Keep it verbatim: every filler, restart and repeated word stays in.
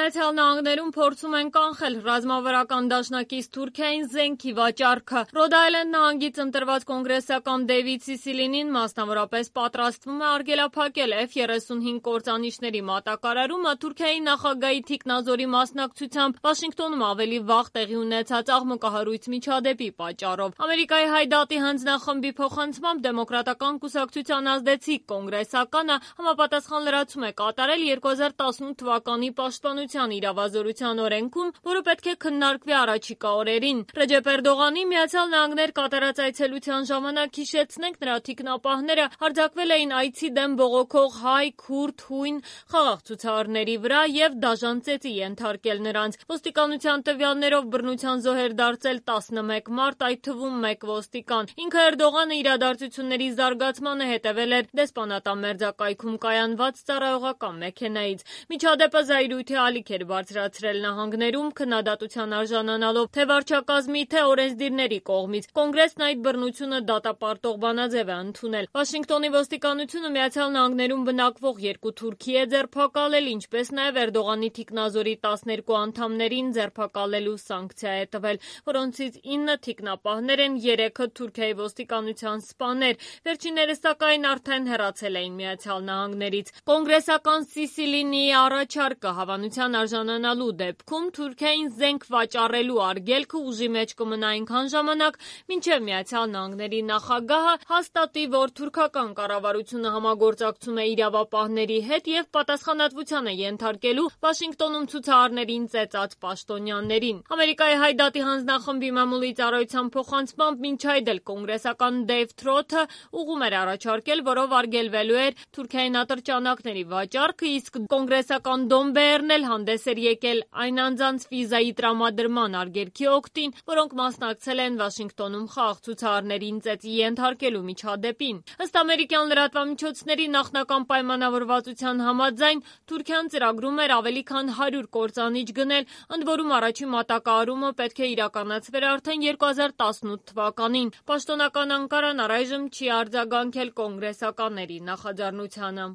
Միացյալ Նահանգներում փորձում են կանխել ռազմավարական դաշնակից Թուրքիային զենքի վաճառքը։ Ռոդ Այլենդ նահանգից ընտրված կոնգրեսական Դեյվիդ Սիսիլինին մասնավորապես պատրաստվում է արգելափակել Էֆ երեսունհինգ կործանիչների մատակարարումը Թուրքիայի նախագահի թիկնազորի մասնակցությամբ Վաշինգտոնում ավելի վաղ տեղի ունեցած աղմկահարույց միջադեպի պատճառով։ Ամերիկայի Հայ-դատի հանձնախմբի փոխանցմամբ դեմոկրատական կուսակցության ազդեցիկ կոնգրեսականը համապատասխան լրացում է կատարել երկու հազար տասնութ թվականի պաշտպանության իրավազորության օրենքում, որը պետք է քննարկվի առաջիկա օրերին։ Ռեջեփ Էրդողանի Միացյալ Նահանգներ կատարած այցելության ժամանակ, հիշեցնենք, նրա թիկնապահները հարձակվել էին այցի դեմ բողոքող հայ, քուրդ, հույն խաղաղ ցուցարարների վրա և դաժան ծեծի ենթարկել նրանց։ Ոստիկանության տվյալներով բռնության զոհ էր դարձել տասնմեկ մարդ, այդ թվում մեկ ոստիկան։ Ինքը Էրդողանը իրադարձությունների զարգացմանը հետևել էր դեսպանատան մերձակայքում կայանված ծառայողական մեքենայից։ Միջադեպը զայրույթի ալիք էր բարձրացրել նահանգներում, քննադատության արժանանալով թե վարչակազմի, թե օրենսդիրների կողմից։ Կոնգրեսն այդ բռնությունը դատապարտող բանաձև է ընդունել։ Վաշինգտոնի ոստիկանությունը Միացյալ Նահանգներում բնակվող երկու թուրքի է ձերբակալել, ինչպես նաև Էրդողանի թիկնազորի տասներկու անդամներին ձերբակալելու սանկցիա է տվել, որոնցից ինը թիկնապահներ են, երեքը Թուրքիայի ոստիկանության սպաներ։ Վերջիններս սակայն արդեն հեռացել էին Միացյալ Նահանգներից։ Կոնգրեսական Սիսիլինիի առաջարկը հավանության արժանանալու դեպքում Թուրքիային զենք վաճառելու արգելքը ուժի մեջ կմնա այնքան ժամանակ, մինչև Միացյալ Նահանգների նախագահը հաստատի, որ թուրքական կառավարությունը համագործակցում է իրավապահների հետ և պատասխանատվության է ենթարկելու Վաշինգտոնում ցուցարարներին ծեծած պաշտոնյաներին։ Ամերիկայի Հայ-դատի հանձնախմբի մամուլի ծառայության փոխանցմամբ մինչ այդ էլ կոնգրեսական Դեյվ Թրոթը ուղում էր առաջարկել, որով արգելվելու էր Թուրքիային ատրճանակների վաճառքը, իսկ կոնգրեսական Դոն Բեյերն էլ հանդես էր եկել այն անձանց վիզայի տրամադրման արգելքի օգտին, որոնք մասնակցել են Վաշինգտոնում խաղաղ ցուցարարներին ծեծի ենթարկելու միջադեպին։ Ըստ ամերիկյան լրատվամիջոցների նախնական պայմանավորվածության համաձայն Թուրքիան ծրագրում էր ավելի քան հարյուր կործանիչ գնել, ընդ որում առաջին մատակարարումը պետք է իրականացվեր արդեն երկու հազար տասնութ թվականին։ Պաշտոնական Անկարան առայժմ չի արձագանքել կոնգրեսականների նախաձեռնությանը։